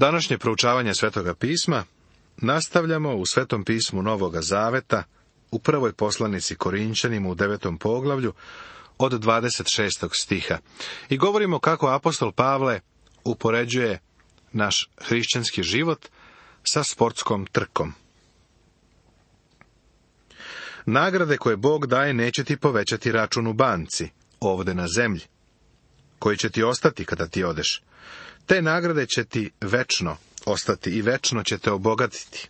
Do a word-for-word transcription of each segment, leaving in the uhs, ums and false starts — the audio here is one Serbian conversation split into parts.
Današnje proučavanje Svetoga pisma nastavljamo u Svetom pismu Novoga Zaveta, u prvoj poslanici Korinćanima u devetom poglavlju, od dvadeset šestog stiha. I govorimo kako apostol Pavle upoređuje naš hrišćanski život sa sportskom trkom. Nagrade koje Bog daje neće ti povećati račun u banci, ovde na zemlji, koji će ti ostati kada ti odeš. Te nagrade će ti večno ostati i večno će te obogatiti.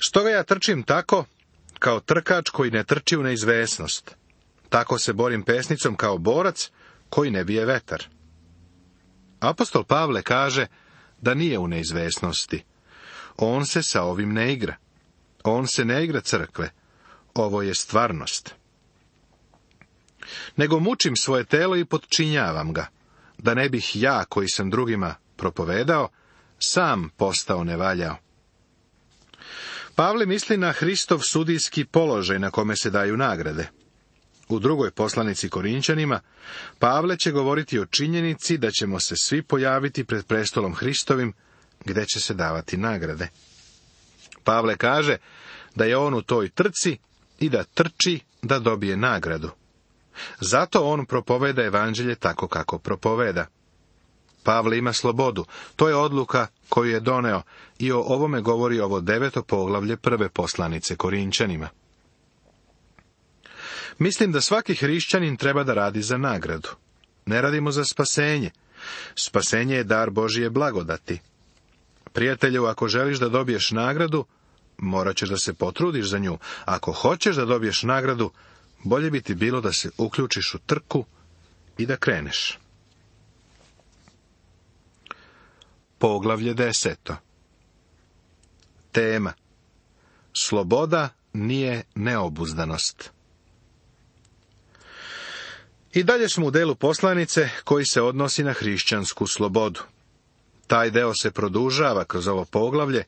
Stoga ja trčim tako, kao trkač koji ne trči u neizvesnost. Tako se borim pesnicom kao borac koji ne bije vetar. Apostol Pavle kaže da nije u neizvesnosti. On se sa ovim ne igra. On se ne igra crkve. Ovo je stvarnost. Nego mučim svoje telo i potčinjavam ga, da ne bih ja, koji sam drugima propovedao, sam postao nevaljao. Pavle misli na Hristov sudijski položaj na kome se daju nagrade. U drugoj poslanici Korinćanima, Pavle će govoriti o činjenici da ćemo se svi pojaviti pred prestolom Hristovim, gde će se davati nagrade. Pavle kaže da je on u toj trci i da trči da dobije nagradu. Zato on propoveda evanđelje tako kako propoveda. Pavle ima slobodu, to je odluka koju je doneo i o ovome govori ovo deveto poglavlje prve poslanice Korinćanima. Mislim da svaki hrišćanin treba da radi za nagradu. Ne radimo za spasenje. Spasenje je dar Božije blagodati. Prijatelju, ako želiš da dobiješ nagradu, morat ćeš da se potrudiš za nju. Ako hoćeš da dobiješ nagradu, bolje bi ti bilo da se uključiš u trku i da kreneš. Poglavlje deseto. Tema: sloboda nije neobuzdanost. I dalje smo u delu poslanice koji se odnosi na hrišćansku slobodu. Taj deo se produžava kroz ovo poglavlje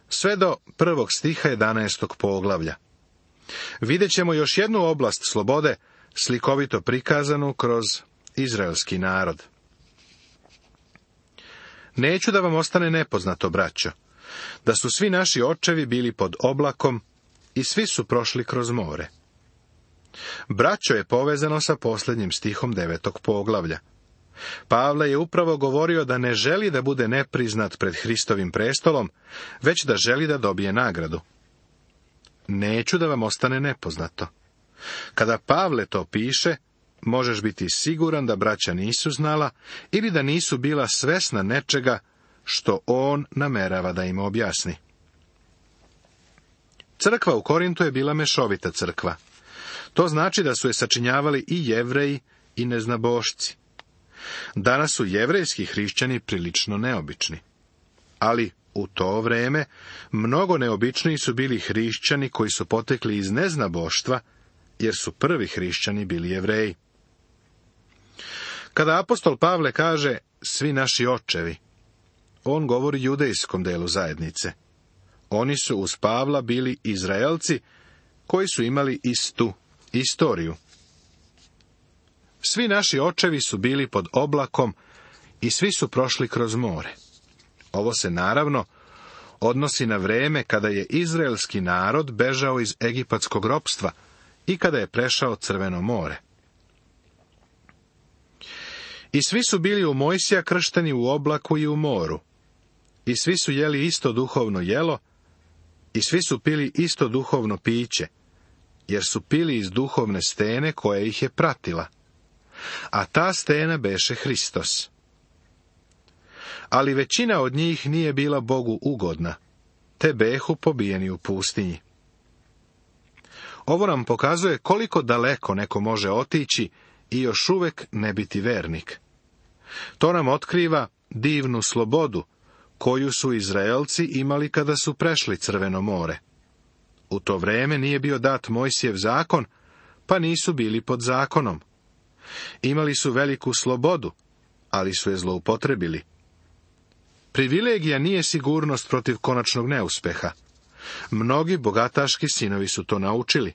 sve do prvog stiha jedanaestog poglavlja. Vidjet ćemo još jednu oblast slobode, slikovito prikazanu kroz izraelski narod. Neću da vam ostane nepoznato, braćo, da su svi naši očevi bili pod oblakom i svi su prošli kroz more. Braćo je povezano sa posljednjim stihom devetog poglavlja. Pavle je upravo govorio da ne želi da bude nepriznat pred Hristovim prestolom, već da želi da dobije nagradu. Neću da vam ostane nepoznato. Kada Pavle to piše, možeš biti siguran da braća nisu znala ili da nisu bila svesna nečega što on namerava da im objasni. Crkva u Korintu je bila mešovita crkva. To znači da su je sačinjavali i Jevreji i neznabošci. Danas su jevrejski hrišćani prilično neobični. Ali u to vreme mnogo neobičniji su bili hrišćani koji su potekli iz neznaboštva, jer su prvi hrišćani bili Jevreji. Kada apostol Pavle kaže svi naši očevi, on govori judejskom delu zajednice. Oni su uz Pavla bili Izraelci koji su imali istu istoriju. Svi naši očevi su bili pod oblakom i svi su prošli kroz more. Ovo se naravno odnosi na vreme kada je izraelski narod bežao iz egipatskog ropstva i kada je prešao Crveno more. I svi su bili u Mojsija kršteni u oblaku i u moru. I svi su jeli isto duhovno jelo i svi su pili isto duhovno piće, jer su pili iz duhovne stene koja ih je pratila. A ta stena beše Hristos. Ali većina od njih nije bila Bogu ugodna, te behu pobijeni u pustinji. Ovo nam pokazuje koliko daleko neko može otići i još uvek ne biti vernik. To nam otkriva divnu slobodu koju su Izraelci imali kada su prešli Crveno more. U to vreme nije bio dat Mojsijev zakon, pa nisu bili pod zakonom. Imali su veliku slobodu, ali su je zloupotrebili. Privilegija nije sigurnost protiv konačnog neuspeha. Mnogi bogataški sinovi su to naučili.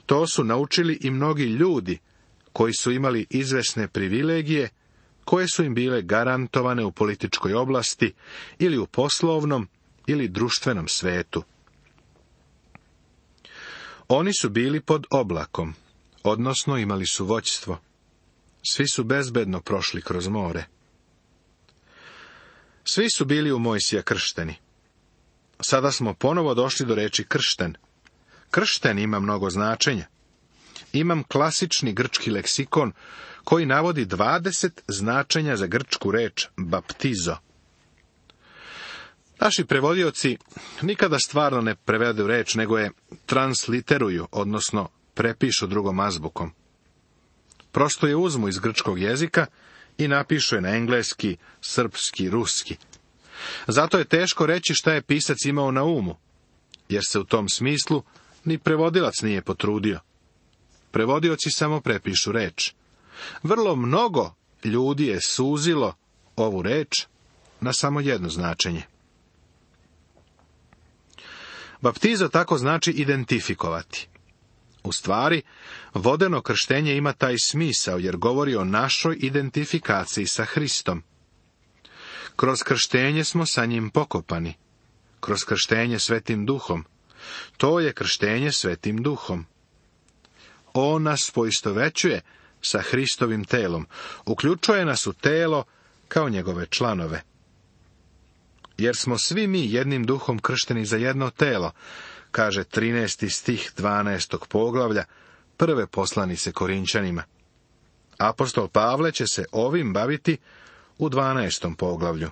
To su naučili i mnogi ljudi koji su imali izvesne privilegije, koje su im bile garantovane u političkoj oblasti ili u poslovnom ili društvenom svetu. Oni su bili pod oblakom, odnosno imali su vođstvo. Svi su bezbedno prošli kroz more. Svi su bili u Mojsija kršteni. Sada smo ponovo došli do reči kršten. Kršten ima mnogo značenja. Imam klasični grčki leksikon koji navodi dvadeset značenja za grčku reč baptizo. Naši prevodioci nikada stvarno ne prevedu reč, nego je transliteruju, odnosno prepišu drugom azbukom. Prosto je uzmu iz grčkog jezika i napišu je na engleski, srpski, ruski. Zato je teško reći šta je pisac imao na umu, jer se u tom smislu ni prevodilac nije potrudio. Prevodioci samo prepišu reč. Vrlo mnogo ljudi je suzilo ovu reč na samo jedno značenje. Baptizo tako znači identifikovati. U stvari, vodeno krštenje ima taj smisao, jer govori o našoj identifikaciji sa Hristom. Kroz krštenje smo sa njim pokopani. Kroz krštenje Svetim Duhom. To je krštenje Svetim Duhom. On nas poistovećuje sa Hristovim telom. Uključuje nas u telo kao njegove članove. Jer smo svi mi jednim duhom kršteni za jedno telo, kaže trinaesti stih dvanaestog poglavlja prve poslanice Korinćanima. Apostol Pavle će se ovim baviti u dvanaestom poglavlju.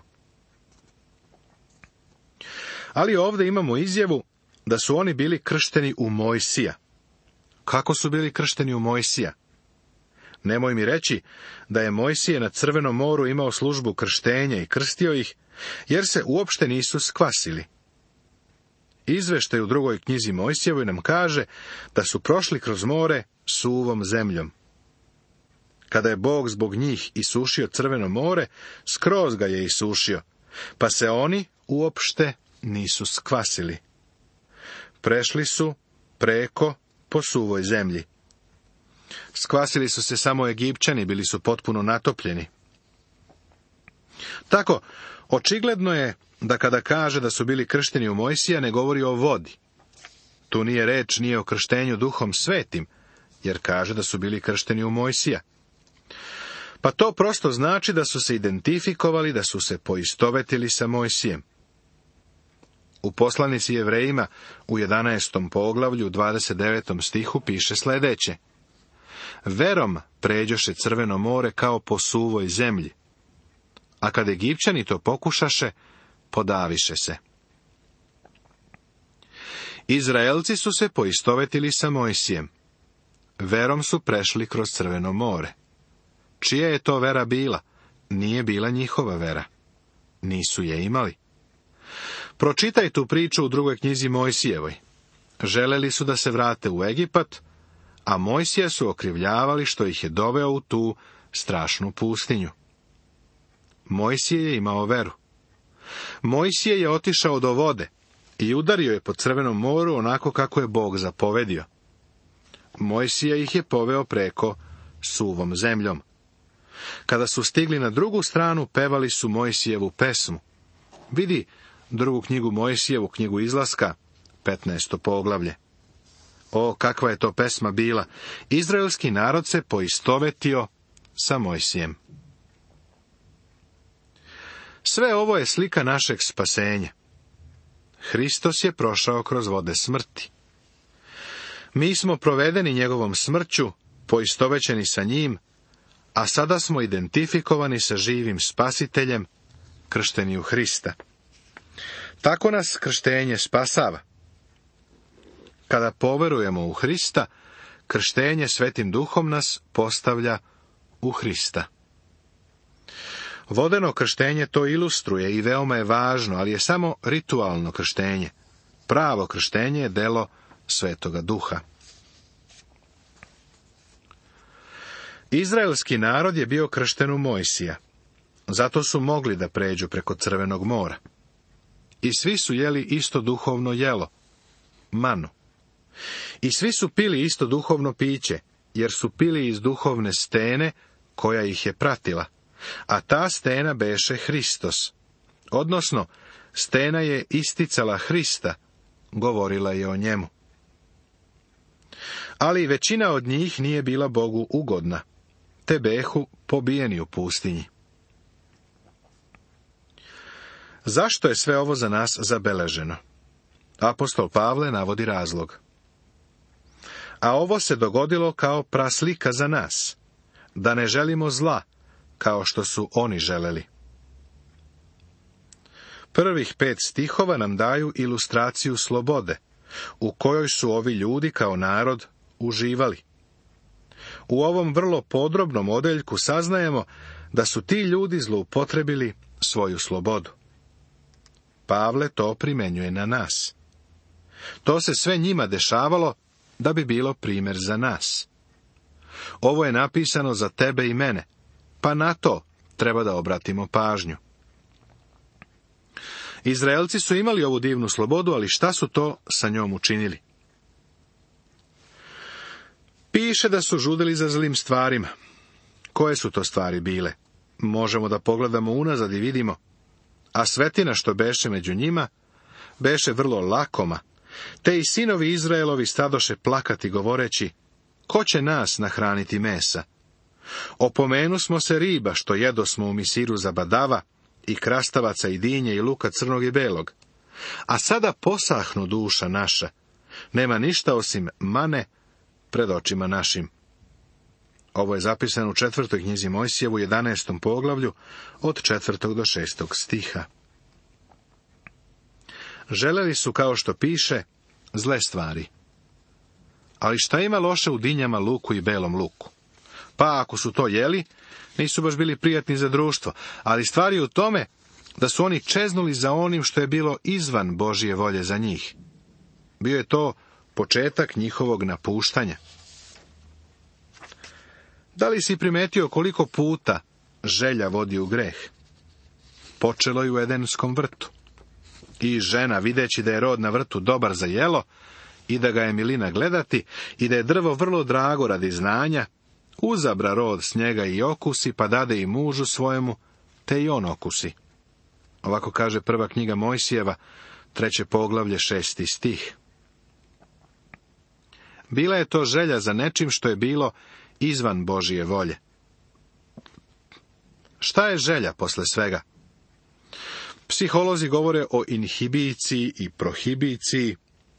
Ali ovdje imamo izjavu da su oni bili kršteni u Mojsija. Kako su bili kršteni u Mojsija? Nemoj mi reći da je Mojsije na Crvenom moru imao službu krštenja i krstio ih, jer se uopšte nisu skvasili. Izveštaj u drugoj knjizi Mojsijevoj nam kaže da su prošli kroz more suvom zemljom. Kada je Bog zbog njih isušio Crveno more, skroz ga je isušio, pa se oni uopšte nisu skvasili. Prešli su preko po suvoj zemlji. Skvasili su se samo Egipćani, bili su potpuno natopljeni. Tako, očigledno je da kada kaže da su bili kršteni u Mojsija, ne govori o vodi. Tu nije reč nije o krštenju Duhom Svetim, jer kaže da su bili kršteni u Mojsija. Pa to prosto znači da su se identifikovali, da su se poistovetili sa Mojsijem. U poslanici Jevrejima u jedanaestom poglavlju, dvadeset devetom stihu piše sljedeće. Verom pređoše Crveno more kao po suvoj zemlji, a kad Egipćani to pokušaše, podaviše se. Izraelci su se poistovetili sa Mojsijem. Verom su prešli kroz Crveno more. Čija je to vera bila? Nije bila njihova vera. Nisu je imali. Pročitaj tu priču u drugoj knjizi Mojsijevoj. Želeli su da se vrate u Egipat, a Mojsija su okrivljavali što ih je doveo u tu strašnu pustinju. Mojsije je imao veru. Mojsije je otišao do vode i udario je po Crvenom moru onako kako je Bog zapovedio. Mojsije ih je poveo preko suvom zemljom. Kada su stigli na drugu stranu, pevali su Mojsijevu pesmu. Vidi drugu knjigu Mojsijevu, knjigu Izlaska, petnaesto poglavlje. O, kakva je to pesma bila! Izraelski narod se poistovetio sa Mojsijem. Sve ovo je slika našeg spasenja. Hristos je prošao kroz vode smrti. Mi smo provedeni njegovom smrću, poistovećeni sa njim, a sada smo identifikovani sa živim spasiteljem, kršteni u Hrista. Tako nas krštenje spasava. Kada poverujemo u Hrista, krštenje Svetim Duhom nas postavlja u Hrista. Vodeno krštenje to ilustruje i veoma je važno, ali je samo ritualno krštenje. Pravo krštenje je delo Svetoga Duha. Izraelski narod je bio kršten u Mojsija. Zato su mogli da pređu preko Crvenog mora. I svi su jeli isto duhovno jelo, manu. I svi su pili isto duhovno piće, jer su pili iz duhovne stene koja ih je pratila. a ta stena beše Hristos, odnosno stena je isticala Hrista, govorila je o njemu. Ali većina od njih nije bila Bogu ugodna, te behu pobijeni u pustinji. Zašto je sve ovo za nas zabeleženo? Apostol Pavle navodi razlog. A ovo se dogodilo kao praslika za nas, da ne želimo zla, kao što su oni želeli. Prvih pet stihova nam daju ilustraciju slobode, u kojoj su ovi ljudi kao narod uživali. U ovom vrlo podrobnom odeljku saznajemo da su ti ljudi zloupotrebili svoju slobodu. Pavle to primenjuje na nas. To se sve njima dešavalo da bi bilo primjer za nas. Ovo je napisano za tebe i mene, pa na to treba da obratimo pažnju. Izraelci su imali ovu divnu slobodu, ali šta su to sa njom učinili? Piše da su žudili za zlim stvarima. Koje su to stvari bile? Možemo da pogledamo unazad i vidimo. A svetina što beše među njima, beše vrlo lakoma, te i sinovi Izraelovi stadoše plakati govoreći, ko će nas nahraniti mesa? Opomenu smo se riba što jedosmo u misiru za badava, i krastavaca i dinje i luka crnog i belog. A sada posahnu duša naša, nema ništa osim mane pred očima našim. Ovo je zapisano u četvrtoj knjizi Mojsijevu, jedanaestom poglavlju, od četvrtog do šestog stiha. Želeli su, kao što piše, zle stvari. Ali šta ima loše u dinjama, luku i belom luku? Pa ako su to jeli, nisu baš bili prijatni za društvo, ali stvar je u tome da su oni čeznuli za onim što je bilo izvan Božje volje za njih. Bio je to početak njihovog napuštanja. Da li si primetio koliko puta želja vodi u greh? Počelo je u Edenskom vrtu. I žena, videći da je rod na vrtu dobar za jelo, i da ga je milina gledati, i da je drvo vrlo drago radi znanja, uzabra rod s njega i okusi, pa dade i mužu svojemu, te i on okusi. Ovako kaže prva knjiga Mojsijeva, treće poglavlje, šesti stih. Bila je to želja za nečim što je bilo izvan Božije volje. Šta je želja posle svega? Psiholozi govore o inhibiciji i prohibiciji,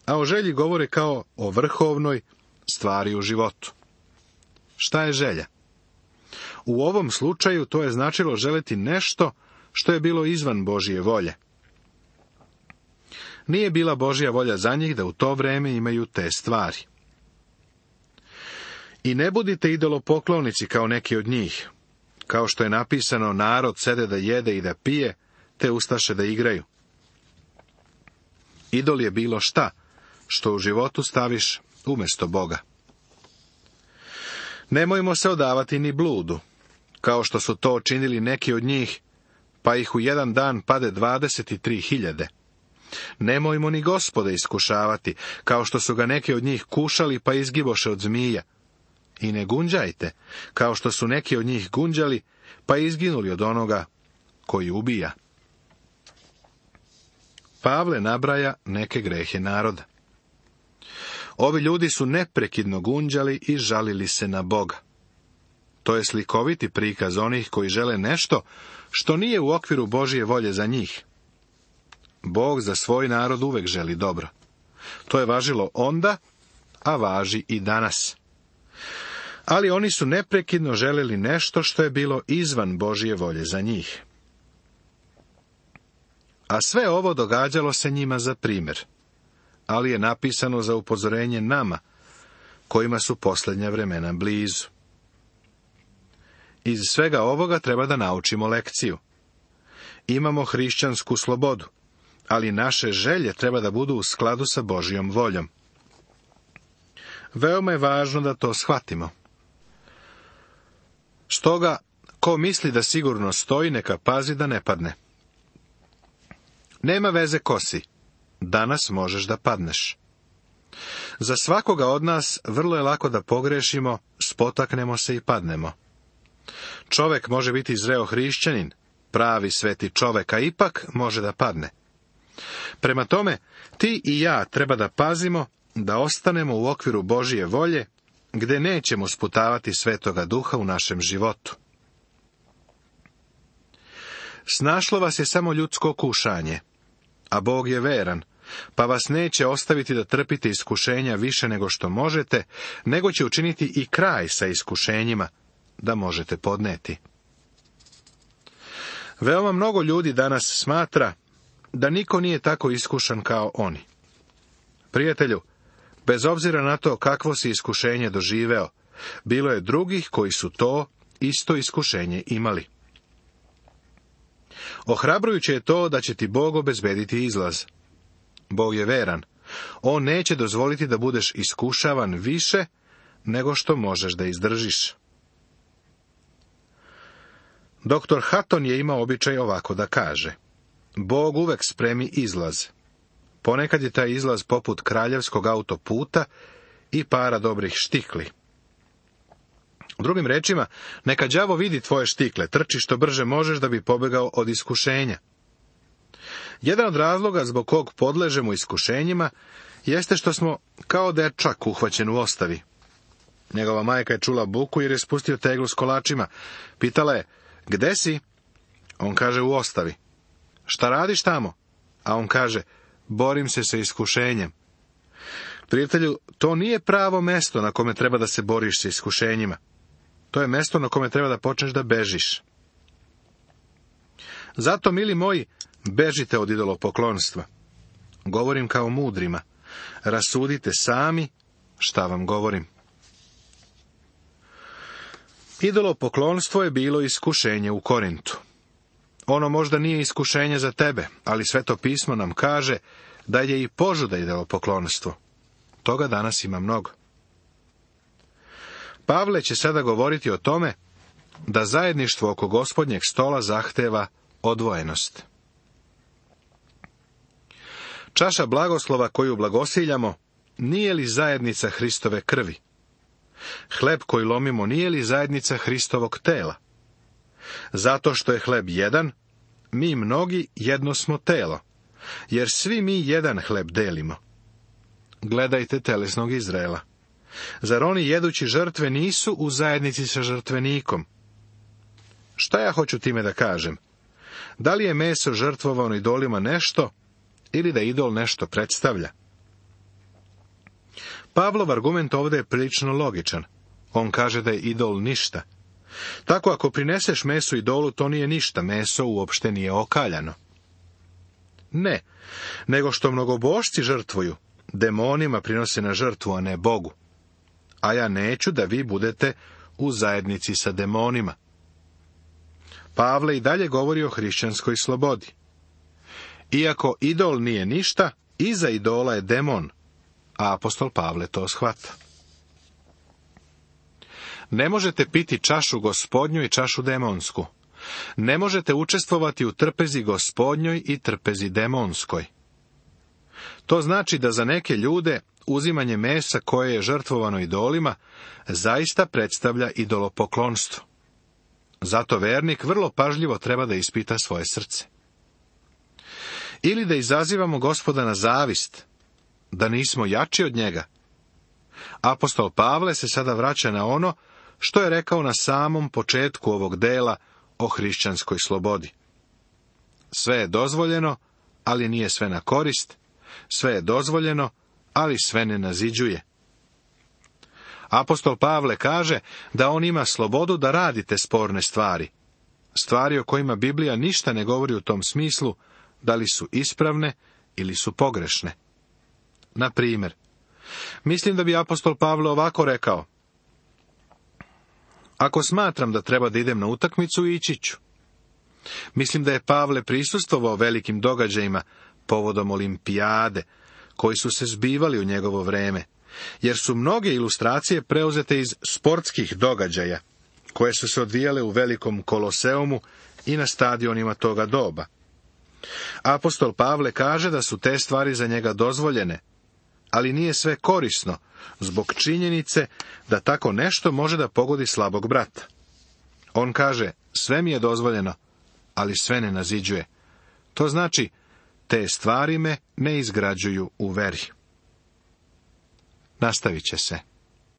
a o želji govore kao o vrhovnoj stvari u životu. Šta je želja? U ovom slučaju to je značilo želiti nešto što je bilo izvan Božje volje. Nije bila Božja volja za njih da u to vreme imaju te stvari. I ne budite idolopoklonici kao neki od njih. Kao što je napisano, narod sede da jede i da pije, te ustaše da igraju. Idol je bilo šta, što u životu staviš umjesto Boga. Nemojmo se odavati ni bludu, kao što su to činili neki od njih, pa ih u jedan dan pade dvadeset tri hiljade. Nemojmo ni Gospoda iskušavati, kao što su ga neki od njih kušali, pa izgiboše od zmija. I ne gunđajte, kao što su neki od njih gunđali, pa izginuli od onoga koji ubija. Pavle nabraja neke grehe naroda. Ovi ljudi su neprekidno gunđali i žalili se na Boga. To je slikoviti prikaz onih koji žele nešto što nije u okviru Božje volje za njih. Bog za svoj narod uvek želi dobro. To je važilo onda, a važi i danas. Ali oni su neprekidno želeli nešto što je bilo izvan Božje volje za njih. A sve ovo događalo se njima za primjer, ali je napisano za upozorenje nama, kojima su posljednja vremena blizu. Iz svega ovoga treba da naučimo lekciju. Imamo hrišćansku slobodu, ali naše želje treba da budu u skladu sa Božjom voljom. Veoma je važno da to shvatimo. Stoga, ko misli da sigurno stoji, neka pazi da ne padne. Nema veze ko si, danas možeš da padneš. Za svakoga od nas vrlo je lako da pogrešimo, spotaknemo se i padnemo. Čovek može biti zreo hrišćanin, pravi sveti čovek, a ipak može da padne. Prema tome, ti i ja treba da pazimo da ostanemo u okviru Božije volje, gde nećemo sputavati Svetoga Duha u našem životu. Snašlo vas je samo ljudsko kušanje, a Bog je veran, pa vas neće ostaviti da trpite iskušenja više nego što možete, nego će učiniti i kraj sa iskušenjima, da možete podneti. Veoma mnogo ljudi danas smatra da niko nije tako iskušan kao oni. Prijatelju, bez obzira na to kakvo si iskušenje doživeo, bilo je drugih koji su to isto iskušenje imali. Ohrabrujuće je to da će ti Bog obezbediti izlaz. Bog je veran. On neće dozvoliti da budeš iskušavan više nego što možeš da izdržiš. Doktor Hatton je imao običaj ovako da kaže: Bog uvek spremi izlaz. Ponekad je taj izlaz poput kraljevskog autoputa i para dobrih štikli. Drugim rečima, neka đavo vidi tvoje štikle, trči što brže možeš da bi pobegao od iskušenja. Jedan od razloga zbog kog podležemo iskušenjima jeste što smo kao dečak uhvaćen u ostavi. Njegova majka je čula buku jer je spustio teglu s kolačima. Pitala je: gde si? On kaže: u ostavi. Šta radiš tamo? A on kaže: borim se sa iskušenjem. Prijatelju, to nije pravo mesto na kome treba da se boriš sa iskušenjima. To je mesto na kome treba da počneš da bežiš. Zato, mili moji, bežite od idolopoklonstva. Govorim kao mudrima. Rasudite sami šta vam govorim. Idolopoklonstvo je bilo iskušenje u Korintu. Ono možda nije iskušenje za tebe, ali Sveto pismo nam kaže da je i požuda idolopoklonstvo. Toga danas ima mnogo. Pavle će sada govoriti o tome da zajedništvo oko Gospodnjeg stola zahteva odvojenost. Čaša blagoslova koju blagosiljamo nije li zajednica Hristove krvi? Hleb koji lomimo nije li zajednica Hristovog tela? Zato što je hleb jedan, mi mnogi jedno smo telo, jer svi mi jedan hleb delimo. Gledajte telesnog Izraela. Zar oni jedući žrtve nisu u zajednici sa žrtvenikom? Šta ja hoću time da kažem? Da li je meso žrtvovano idolima nešto, ili da idol nešto predstavlja? Pavlov argument ovdje je prilično logičan. On kaže da je idol ništa. Tako ako prineseš meso idolu, to nije ništa, meso uopšte nije okaljano. Ne, nego što mnogobošci žrtvuju, demonima prinose na žrtvu, a ne Bogu. A ja neću da vi budete u zajednici sa demonima. Pavle i dalje govori o hrišćanskoj slobodi. Iako idol nije ništa, iza idola je demon, a apostol Pavle to shvata. Ne možete piti čašu Gospodnju i čašu demonsku. Ne možete učestvovati u trpezi Gospodnjoj i trpezi demonskoj. To znači da za neke ljude uzimanje mesa koje je žrtvovano idolima zaista predstavlja idolopoklonstvo. Zato vernik vrlo pažljivo treba da ispita svoje srce. Ili da izazivamo Gospoda na zavist, da nismo jači od njega. Apostol Pavle se sada vraća na ono što je rekao na samom početku ovog dela o hrišćanskoj slobodi. Sve je dozvoljeno, ali nije sve na korist. Sve je dozvoljeno, ali sve ne naziđuje. Apostol Pavle kaže da on ima slobodu da radite sporne stvari. Stvari o kojima Biblija ništa ne govori u tom smislu, da li su ispravne ili su pogrešne. Na primjer, mislim da bi apostol Pavle ovako rekao: ako smatram da treba da idem na utakmicu, ići ću. Mislim da je Pavle prisustvovao velikim događajima povodom olimpijade, koji su se zbivali u njegovo vreme, jer su mnoge ilustracije preuzete iz sportskih događaja, koje su se odvijale u velikom koloseumu i na stadionima toga doba. Apostol Pavle kaže da su te stvari za njega dozvoljene, ali nije sve korisno, zbog činjenice da tako nešto može da pogodi slabog brata. On kaže, sve mi je dozvoljeno, ali sve ne naziđuje. To znači, te stvari me ne izgrađuju u veri. Nastavit će se.